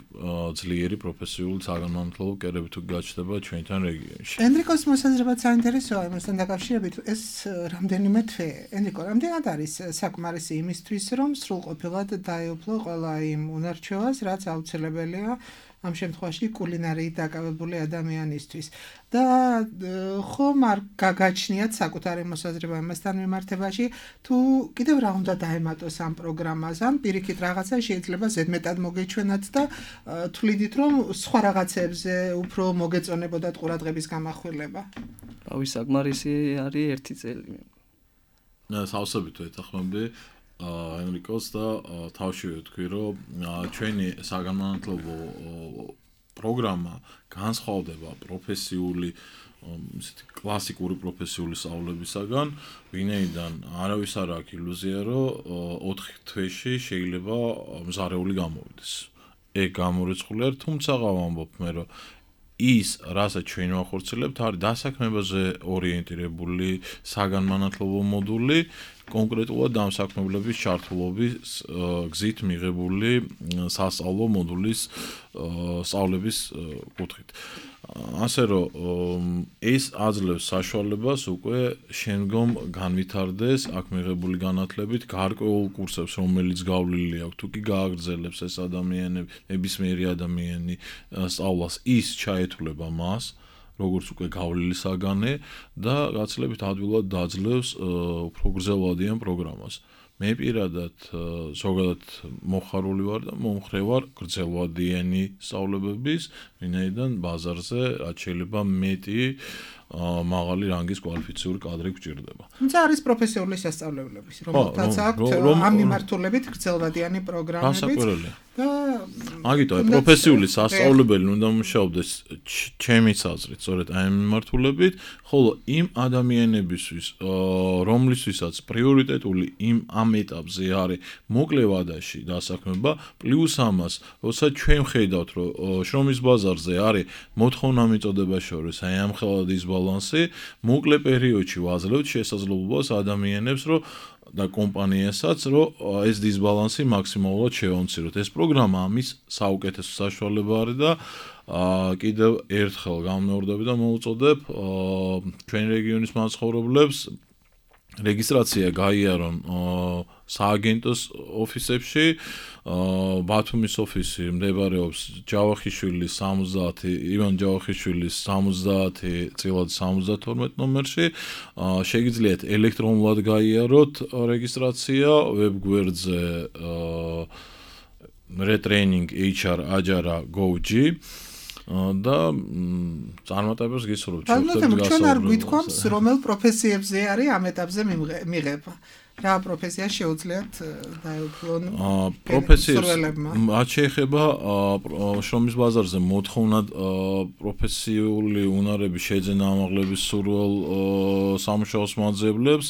ძლიერი პროფესიული საგანმანათლებლო კერები თუ გაჩნდება ჩვენთან რეგიონში. ენრიკოს მოსაზრება საინტერესოა იმასთან დაკავშირებით, ეს რამდენიმე თვე. ენრიკო, რამდენად არის საკმარისი იმისთვის, რომ სრულყოფილად დაეუფლო ყველა იმ უნარჩვევას, რაც აუცილებელია ამ შემთხვევაში კულინარიით დაკავებული ადამიანისთვის. და ხომ არ გაგაჩნიათ საკუთარი მოსაზრება ამასთან მიმართებაში, თუ კიდევ რა უნდა დაემატოს ამ პროგრამას, ან პირიქით რაღაცა შეიძლება ზედმეტად მოგეჩვენათ და თვლიდით, რომ სხვა რაღაცებზე უფრო მოგეწონებოდათ ყურადღების გამახვილება. რავი, საკმარისი არის 1 წელი. სავსებით ვეთანხმები ენრიკოს და თავშივე ვთქვი, რომ ჩვენი საგანმანათლებლო პროგრამა განსხვავდება პროფესიული ისეთი კლასიკური პროფესიული სწავლებისაგან, ვინაიდან არავის არ აქვს ილუზია, რომ 4 თვეში შეიძლება მზარეული გამოვიდეს. ეგ გამორიცხული არის, თუმცა ვამბობ მე, რომ ის, რასაც ჩვენ ვახორციელებთ, არის დასაქმებაზე ორიენტირებული საგანმანათლებლო მოდული, კონკრეტულად დამსაქმებლების ჩართულობის გზით მიღებული სასწავლო მოდულის სწავლების კუთხით. ასე რომ ეს აძლევს საშუალებას უკვე შემდგომ განვითარდეს აქ მიღებული განათლებით გარკვეულ კურსებს, რომელიც გავლილი აქვს, თუ კი გააგრძელებს ეს ადამიანები, ნებისმიერი ადამიანი სწავლას, ის ჩაეთვლება მას, როგორც უკვე გავლილი საგანი და გაცილებით ადვილად დაძლევს უფრო გრძელვადიან პროგრამას. მე პირადად ზოგადად მოხარული ვარ და მომხრე ვარ გრძელვადიანი სწავლებების, ვინაიდან ბაზარზე რაც შეიძლება მეტი მაღალი რანგის კვალიფიციური კადრი გვჭირდება. თუმცა არის პროფესიული სასწავლებლები, რომელთაც აქვთ ამ მიმართულებით გრძელვადიანი პროგრამებიც და აგიტო პროფესიული სასწავლებელი უნდა მუშაობდეს ჩემი აზრით, სწორედ აი ამ მიმართულებით, ხოლო იმ ადამიანებისთვის, რომლისთვისაც პრიორიტეტული ამ ეტაპზე არის მოკლე ვადაში დასაქმება, პლუს ამას, როცა ჩვენ ხედავთ, რომ შრომის ბაზარზე არის მოთხოვნა მიწოდება შორის, აი ამ ხელა დისბალანსი, მოკლე პერიოდში ვაძლევთ შესაძლებლობას ადამიანებს, რომ და კომპანიასაც, რომ ეს დისბალანსი მაქსიმალურად შევამციროთ. ეს პროგრამა ამის საუკეთესო საშუალება არის და კიდევ ერთხელ გამეორდები და მოვუწოდებ ჩვენ რეგიონის მაცხოვრებლებს რეგისტრაცია გაიარონ სააგენტოს ოფისებში. ბათუმის ოფისი მდებარეობს ჯავახიშვილის 70, ივან ჯავახიშვილის 70/72 ნომერში. შეგიძლიათ ელექტრონულად გაიაროთ რეგისტრაცია ვებგვერდზე retraining HR ajara.gov.g და წარმატებას გისურვებთ. ჩვენ არ გვითქვამს, რომელ პროფესიებზე არის ამ ეტაპზე მიღება. რა პროფესია შეუძლიათ დაეუფლონ პროფესიებმა? რაც შეეხება შრომის ბაზარზე მოთხოვნად პროფესიული უნარების შეძენა ამაღლების სურვილ სამუშაოს მაძიებლებს,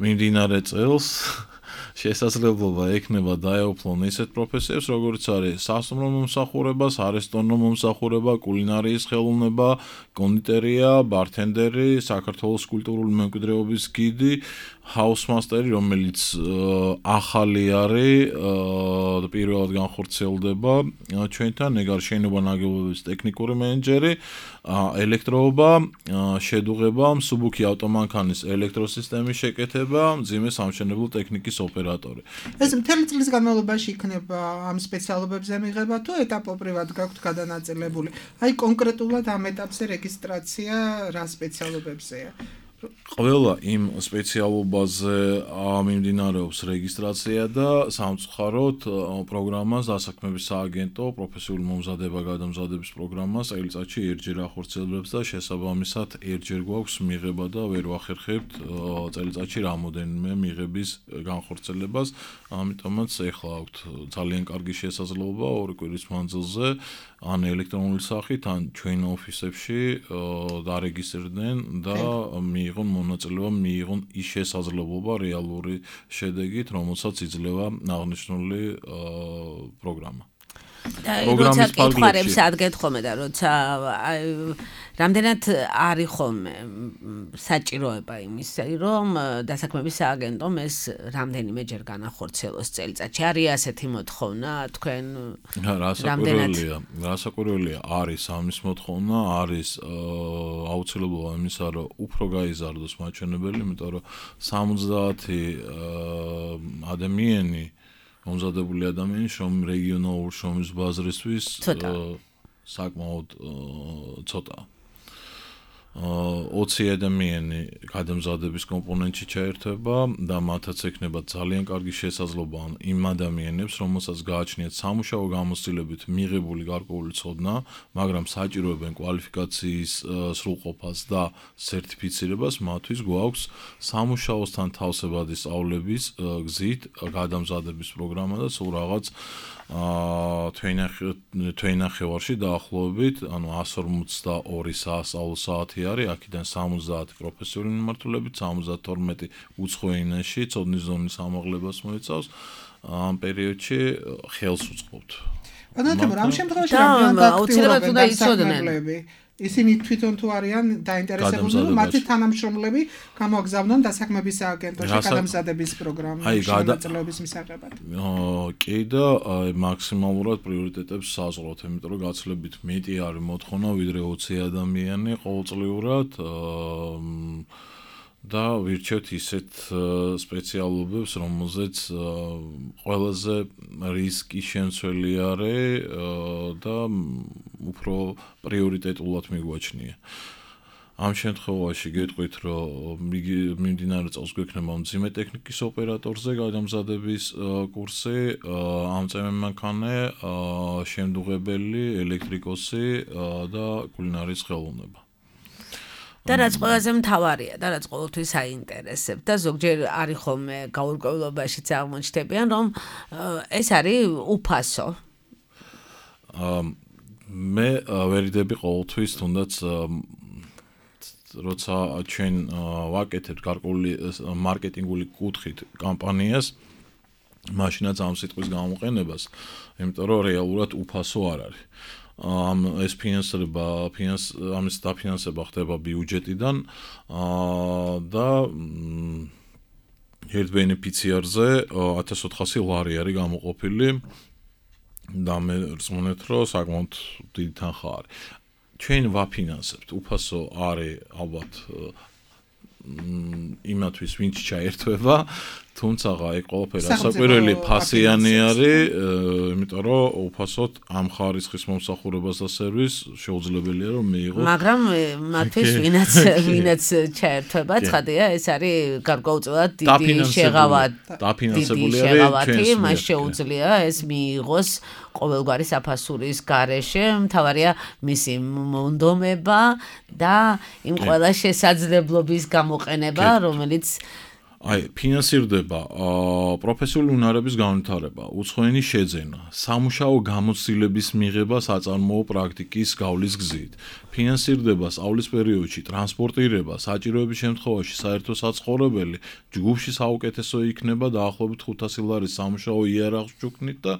მიმდინარე წელს შესაძლებლობა ექნება დაეუფლონ ისეთ პროფესიებს, როგორც არის სასტუმრო მომსახურება, სარესტორნო მომსახურება, კულინარიის ხელოვნება, კონდიტერია, ბართენდერი, საქართველოს კულტურული მემკვიდრეობის გიდი, ჰაუსმასტერი, რომელიც ახალი არის და პირველად განხორციელდება ჩვენთან, ეგ არის შენობა ნაგებობის ტექნიკური მენეჯერი, ელექტროობა, შედუღება, მსუბუქი ავტომანქანის ელექტროსისტემის შეკეთება, მძიმე სამშენებლო ტექნიკის ოპერატორი. ეს მთელი წლის განმავლობაში იქნება ამ სპეციალობებზე მიღება თუ ეტაპობრივად გაქვთ გადანაწილებული? აი კონკრეტულად ამ ეტაპზე რეგისტრაცია რა სპეციალობებზეა? ყველა იმ სპეციალობაზე მიმდინარეობს რეგისტრაცია და სამწუხაროდ პროგრამას დასაქმების სააგენტო პროფესიული მომზადება-გადამზადების პროგრამას წელიწადში ერთჯერ ახორციელებს და შესაბამისად ერთჯერ გვაქვს მიღება და ვერ ვახერხებთ წელიწადში რამოდენიმე მიღების განხორციელებას, ამიტომაც ეხლა აქვთ ძალიან კარგი შესაძლებლობა 2 კვირის მანძილზე ან ელექტრონული სახით ან ჩვენ ოფისებში დარეგისტრდნენ და მიიღონ მონაწილეობა, მიიღონ ის შესაძლებლობა რეალური შედეგით, რომელსაც იძლევა აღნიშნული პროგრამა. როცა კითხვარებს ადგეთ ხოლმე და როცა რამდენად არის ხოლმე საჭიროება იმისა, რომ დასაქმების სააგენტომ ეს რამდენიმეჯერ განახორციელოს წელიწადში. არის ასეთი მოთხოვნა თქვენ? რასაკვირველია, არის ამის მოთხოვნა, არის აუცილებლობა იმისა, რომ უფრო გაიზარდოს მაჩვენებელი, იმიტომ რომ 70 ადამიანი მომზადებული ადამიანი რეგიონალურ შრომის ბაზრისთვის საკმაოდ ცოტაა. 20 ადამიანი გადამზადების კომპონენტში ჩაერთვება და მათაც ექნება ძალიან კარგი შესაძლებლობა იმ ადამიანებს, რომელსაც გააჩნიათ სამუშაო გამოცდილებით მიღებული გარკვეული ცოდნა, მაგრამ საჭიროებენ კვალიფიკაციის სრულყოფას და სერტიფიცირებას, მათთვის გვაქვს სამუშაოსთან თავსებადი სწავლების გზით გადამზადების პროგრამა და სულ რაღაც თვენახევარში დაახლოებით, ანუ 142 სასწავლო საათი არის, აქედან 70 პროფესიული მიმართულებით, 72 უცხო ენაში ცოდნის ზონის ამაღლებას მოიცავს. ამ პერიოდში ხელს უწყობთ. ბანათებო, ამ შემთხვევაში აუცილებლად უნდა იცოდნენ. ისინი თვითონ თუ არიან დაინტერესებული, რომ მათი თანამშრომლები გამოაგზავნონ დასაქმების სააგენტოში გადამზადების პროგრამაში მონაწილეობის მისაღებად. კი და მაქსიმალურად პრიორიტეტებს საზღვრავთ, იმიტომ რომ გაცილებით მეტი არის მოთხოვნა, ვიდრე 20 ადამიანი ყოველწლიურად და ვირჩევთ ისეთ სპეციალობებს, რომელზეც ყველაზე რისკი შემცველი არის და უფრო პრიორიტეტულად მიგვაჩნია. ამ შემთხვევაში გეტყვით, რომ მიმდინარე წელს გვექნება მძიმე ტექნიკის ოპერატორზე გადამზადების კურსი, ამწევენ მანქანე, შემდუღებელი, ელექტრიკოსი და კულინარიის ხელოვნება. და რაც ყველაზე მთავარია და რაც ყოველთვის აინტერესებს და ზოგჯერ არის ხოლმე გაურკვევლობაშიც აღმოჩნდებიან, რომ ეს არის უფასო. მე ვერიდები ყოველთვის თუნდაც როცა ჩვენ ვაკეთებთ გარკვეული მარკეტინგული კუთხით კამპანიას, მაშინაც ამ სიტყვის გამოყენებას, იმიტომ რომ რეალურად უფასო არ არის. ეს ამის დაფინანსება ხდება ბიუჯეტიდან და ერთ ბენეფიციარზე 1400 ლარი არის გამოყოფილი და მე რწმუნეთ, რომ საკმაოდ დიდი თანხა არის. ჩვენ ვაფინანსებთ, უფასო არის ალბათ იმათვის, ვინც ჩაერთვება, თუმცა ეგ ყველაფერი ასაკვირველი ფასიანი არის, იმიტომ რომ უფასოდ ამ ხარისხის მომსახურებას და სერვისს შეუძლებელია რომ მიიღოს. მაგრამ მათთვის ვინაც ჩაერთვება, ცხადია, ეს არის გარკვეულწილად დიდი შეღავათი. დაფინანსებული არის, მას შეუძლია ეს მიიღოს ყოველგვარი საფასურის გარეშე, მთავარია მისი მონდომება და იმ ყველა შესაძლებლობის გამოყენება, რომელიც აი, ფინანსირდება პროფესიული უნარების განვითარება, უცხოენის შეძენა, სამუშაო გამოცდილების მიღება საწარმოო პრაქტიკის გავლის გზით. ფინანსირდება სწავლის პერიოდში ტრანსპორტირება, საჭიროების შემთხვევაში საერთო საცხოვრებელი, ჯგუფში საუკეთესო იქნება დაახლოებით 500 ლარის სამუშაო იარაღს ჩუქნით და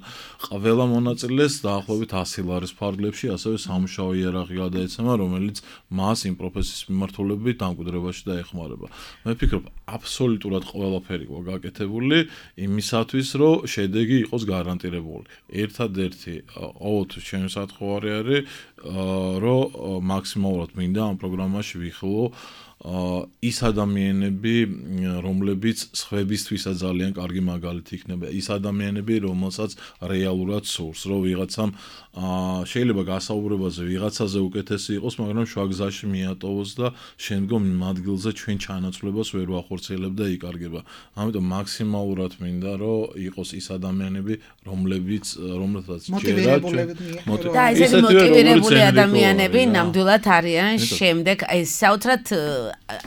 ყველა მონაწილეს დაახლოებით 100 ლარის ფარგლებში ასევე სამუშაო იარაღი გადაეცემა, რომელიც მას იმ პროფესიის მიმართულებით დამკვიდრებაში დაეხმარება. მე ვფიქრობ, აბსოლუტურად ყველაფერი გაკეთებული იმისათვის, რომ შედეგი იყოს გარანტირებული. ერთადერთი ყოველთვის ჩემი საფრთხე არის, რომ მაქსიმალურად მინდა ამ პროგრამაში ვიხილო ის ადამიანები, რომლებიც სხვებისთვისაც ძალიან კარგი მაგალითი იქნება, ის ადამიანები, რომელსაც რეალურად სურს, რომ ვიღაცამ შეიძლება გასაუბრებაზე ვიღაცაზე უკეთესი იყოს, მაგრამ შუაგზაში მიატოვოს და შემდგომ იმ ადგილზე ჩვენ ჩანაცვლებას ვერ ვახორციელებ და იკარგება. ამიტომ მაქსიმალურად მინდა, რომ იყოს ის ადამიანები, რომლებიც და ესეთი მოტივირებული ადამიანები ნამდვილად არიან შემდეგ აი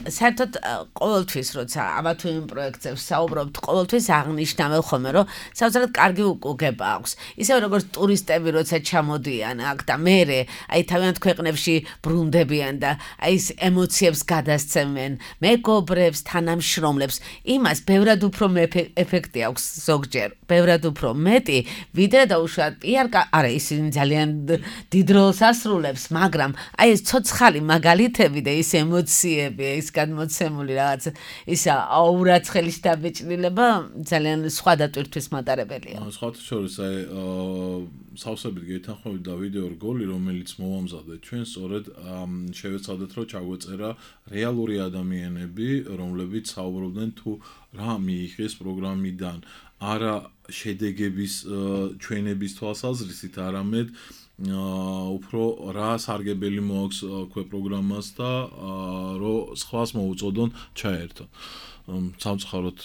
საერთოდ ყოველთვის როცა ამა თუ იმ პროექტზე ვსაუბრობთ, ყოველთვის აღნიშნავენ ხოლმე, რომ საერთოდ კარგი უკუგება აქვს. ისევ როგორც ტურისტები როცა ჩამოდიან აქ და მერე აი თავიანთ ქვეყნებში ბრუნდებიან და აი ეს ემოციებს გადასცემენ მეგობრებს, თანამშრომლებს, იმას ბევრად უფრო ეფექტი აქვს ზოგჯერ, ბევრად უფრო მეტი, ვიდრე დაუშვათ პიარკა, არა ისინი ძალიან დიდ როლს ასრულებს, მაგრამ აი ეს ცოცხალი მაგალითები და ის ემოციები, ის გადმოცემული რაღაც ისა აურაცხელის დაბეჭდილება ძალიან სხვა დატვირთვის მატარებელია. სხვათა შორის აი სავსებით გეთანხმებით და ვიდეო რგოლი, რომელიც მოვამზადეთ ჩვენ, სწორედ შევეცადეთ, რომ ჩაგვეწერა რეალური ადამიანები, რომლებიც საუბრობდნენ თუ რა მიიღეს პროგრამიდან, არა შედეგების ჩვენების თვალსაზრისით, არამედ უფრო რა სარგებელი მოაქვს ქვე პროგრამას და რომ სხვას მოუწოდონ ჩაერთო. სამწუხაროდ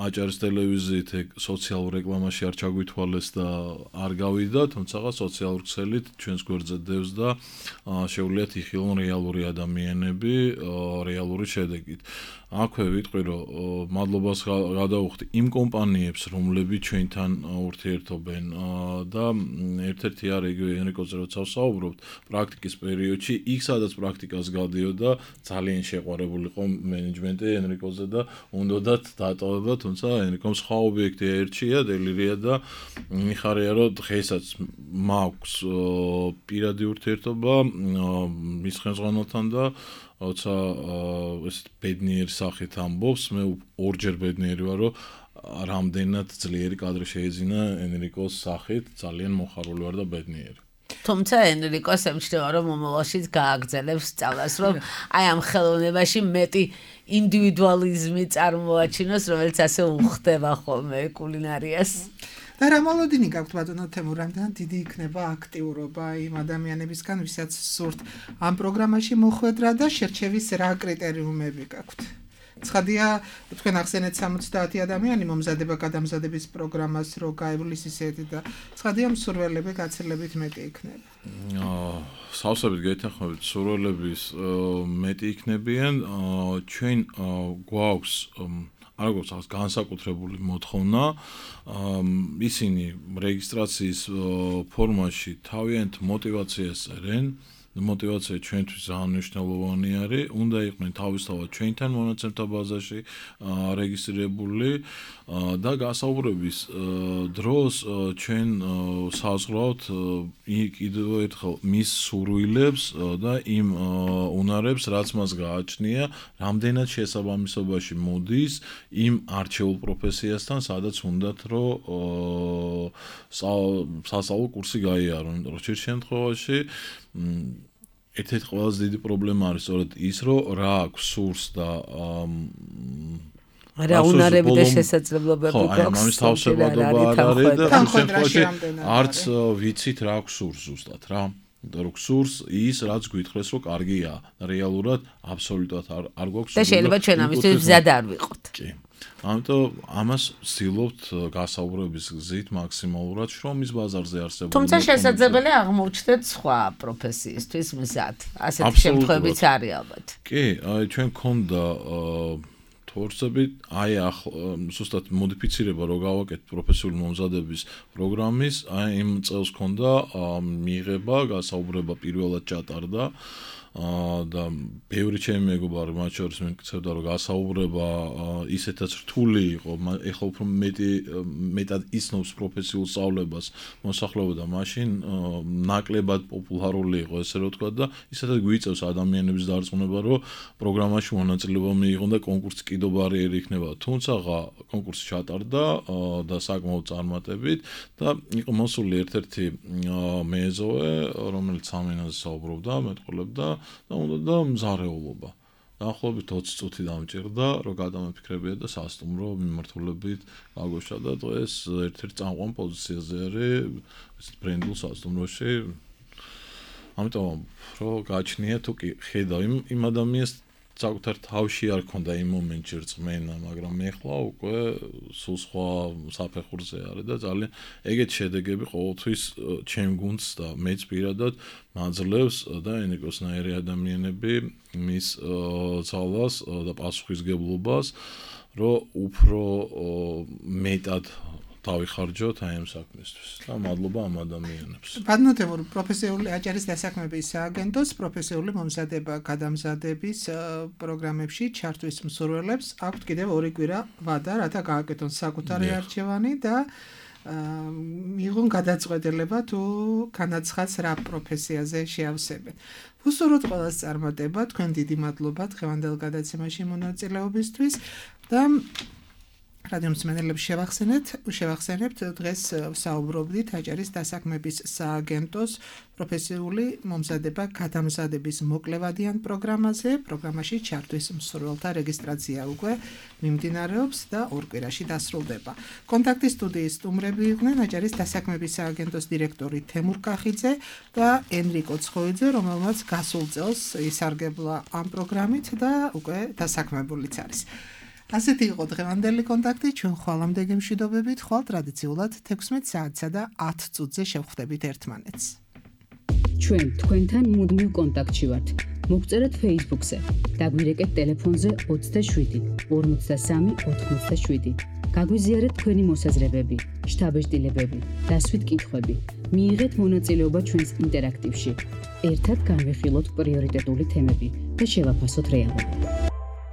აჭარის ტელევიზიით სოციალურ რეკლამაში არ ჩაგვითვალეს და არ გავიდა, თუმცა სოციალურ ქსელით ჩვენს გვერდზე დევს და შეუძლიათ იხილონ რეალური ადამიანები რეალური შედეგით. აქვე ვიტყვი, რომ მადლობას გადავუხდი იმ კომპანიებს, რომლებიც ჩვენთან ურთიერთობენ და ერთ-ერთი არის იგივე ენრიკოზე როცა ვსაუბრობთ, პრაქტიკის პერიოდში, იქ სადაც პრაქტიკას გადიოდა, ძალიან შეყვარებული იყო მენეჯმენტი ენრიკოზე და უნდათ დატოვება, თუმცა ენრიკომ სხვა ობიექტი აერჩია, დელირია და მიხარია, რომ დღესაც მაქვს პირადი ურთიერთობა მის ხელმძღვანელთან და როცა ეს ბედნიერი სახით ამბობს, მე ორჯერ ბედნიერი ვარ, რომ რამდენად ძლიერი კადრი შეეძინა ენრიკოს სახით, ძალიან მოხარული ვარ და ბედნიერი. თუმცა ენრიკოს ემჩნევა, რომ მომავალშიც გააგრძელებს სწავლას, რომ აი ამ ხელოვნებაში მეტი ინდივიდუალიზმი წარმოაჩინოს, რომელიც ასე უხდება ხოლმე კულინარიას. და რა მოლოდინი გაქვთ ბატონო თემურ, რამდენად დიდი იქნება აქტიურობა იმ ადამიანებისგან, ვისაც სურთ ამ პროგრამაში მოხვედრა და შერჩევის რა კრიტერიუმები გაქვთ? ცხადია, თქვენ ახსენეთ 70 ადამიანი მომზადება გადამზადების პროგრამას, რო გაივლის ისეთი და ცხადია მსურველები გაცილებით მეტი იქნება. სავსებით გეთანხმებით, მსურველების მეტი იქნებიან, ჩვენ გვაქვს არ გვაქვს განსაკუთრებული მოთხოვნა, ისინი რეგისტრაციის ფორმაში თავიანთ მოტივაციას წერენ, მოტივაცია ჩვენთვის ძალიან მნიშვნელოვანი არის, უნდა იყვნენ თავისთავად ჩვენთან მონაცემთა ბაზაში რეგისტრირებული და გასაუბრების დროს ჩვენ საზღვრავთ კიდევ ერთხელ მის სურვილებს და იმ უნარებს, რაც მას გააჩნია, რამდენად შესაბამისობაში მოდის იმ არჩეულ პროფესიასთან, სადაც უნდათ რომ სასწავლო კურსი გაიარონ. როჩერ შემთხვევაში ერთ-ერთი ყველაზე დიდი პრობლემა არის სწორედ ის, რომ რა აქვს სურს და რა უნარები და შესაძლებლობები გვაქვს. ამის თავსებადობა არ არის და შემთხვევაში არც ვიცით რა აქვს სურს ზუსტად რა. რო გსურს ის, რაც გვითხრეს, რომ კარგია, რეალურად აბსოლუტურად არ გვაქვს სურს. და შეიძლება ჩვენ ამისთვის მზად არ ვიყოთ. კი. ამიტომ ამას ვცდილობთ გასაუბრების გზით მაქსიმალურად შრომის ბაზარზე არსებული. თუმცა შესაძლებელია აღმოჩნდეთ სხვა პროფესიისთვის მზად. ასეთი შემთხვევებიც არის ალბათ. კი, აი ჩვენ გქონდა ფორსები აი ზუსტად მოდიფიცირება რო გავაკეთეთ პროფესიული მომზადების პროგრამის, აი იმ წელს ქონდა მიიღება, გასაუბრება პირველად ჩატარდა და ბევრი ჩემი მეგობარი მათ შორის მეკითხებდა რომ გასაუბრება ისეთაც რთული იყო, ეხლა უფრო მეტად ისნობს პროფესიულ სწავლებას მოსახლეობა და მაშინ ნაკლებად პოპულარული იყო ესე რომ ვთქვა და ისედაც გვიწევს ადამიანების დარწმუნება რომ პროგრამაში მონაწილეობა მიიღონ და კონკურსი კიდო ბარიერი იქნება. თუმცა კონკურსი ჩატარდა და საკმაოდ წარმატებით და იყო მოსული ერთ-ერთი მეზოვე რომელიც ამ ენაზე საუბრობდა, მეტყოლებდა და უნდა და მზარეულობა. დაახლოებით 20 წუთი დამჭირდა, რომ გადამაფიქრებია და სასტუმრო მიმართულებით გაგოშა და დღეს ერთ-ერთ წამყვან პოზიციაზე არის ბრენდულ სასტუმროში. ამიტომ რო გაჩნია თუ კი ხედავ იმ ადამიანს საკუთარ თავში არ ქონდა იმ მომენტში რწმენა, მაგრამ ეხლა უკვე სულ სხვა საფეხურზე არის და ძალიან ეგეთ შედეგები ყოველთვის ჩემ გუნდს და მეც პირადად მაძლევს და ენიკოსნაირი ადამიანები მის ძალას და პასუხისგებლობას, რომ უფრო მეტად დავიხარჯოთ აი ამ საქმისთვის და მადლობა ამ ადამიანებს. ბადნოთებურ პროფესიული აჭარის დასაქმების სააგენტოს პროფესიული მომზადება გადამზადების პროგრამებში ჩართვის მსურველებს აქვთ კიდევ 2 კვირა ვადა, რათა გააკეთონ საკუთარი არჩევანი და მიიღონ გადაწყვეტილება თუ განაცხადს რა პროფესიაზე შეავსებენ. უსურვოთ ყველას წარმატება, თქვენ დიდი მადლობა დღევანდელ გადაცემაში მონაწილეობისთვის და რადიო მსმენელებს შევახსენებთ დღეს საუბრობდით აჭარის დასაქმების სააგენტოს პროფესიული მომზადება გადამზადების მოკლევადიან პროგრამაზე. პროგრამაში ჩართვის მსურველთა რეგისტრაცია უკვე მიმდინარეობს და 2 კვირაში დასრულდება. კონტაქტის სტუდიის სტუმრები იყვნენ აჭარის დასაქმების სააგენტოს დირექტორი თემურ კახიძე და ენრიკო ცხოიძე, რომელმაც გასულ წელს ისარგებლა ამ პროგრამით და უკვე დასაქმებულიც არის. ასეთი იყო დღევანდელი კონტაქტი, ჩვენ ხვალამდე გემშვიდობებით, ხვალ ტრადიციულად 16 საათსა და 10 წუთზე შევხვდებით ერთმანეთს. ჩვენ თქვენთან მუდმივ კონტაქტში ვართ. მოგწერეთ Facebook-ზე, დაგვირეკეთ ტელეფონზე 27 53 87. გაგვიზიარეთ თქვენი მოსაზრებები, შთაბეჭდილებები, დასვით კითხვები. მიიღეთ მონაწილეობა ჩვენს ინტერაქტივში. ერთად განვიხილოთ პრიორიტეტული თემები და შევაფასოთ რეალობა.